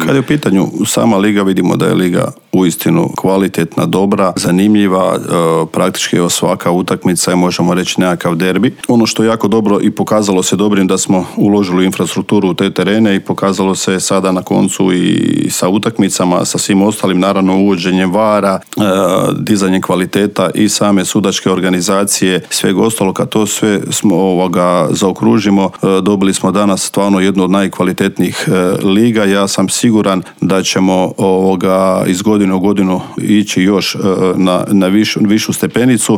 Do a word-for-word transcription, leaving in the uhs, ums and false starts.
Kad je u pitanju sama liga, vidimo da je liga uistinu kvalitetna, dobra, zanimljiva, e, praktički evo svaka utakmica je, možemo reći, nekakav derbi. Ono što je jako dobro i pokazalo se dobrim da smo uložili u infrastrukturu u te terene i pokazalo se sada na koncu i sa utakmicama, sa svim ostalim, naravno uvođenjem vara, e, dizanjem kvaliteta i same sudačke organizacije, svega ostalo, kad to sve smo ovoga zaokružimo, e, dobili smo danas stvarno jednu od najkvalitetnijih e, liga. Ja sam siguran da ćemo ovoga iz godine u godinu ići još e, na, na višu, višu stepenicu.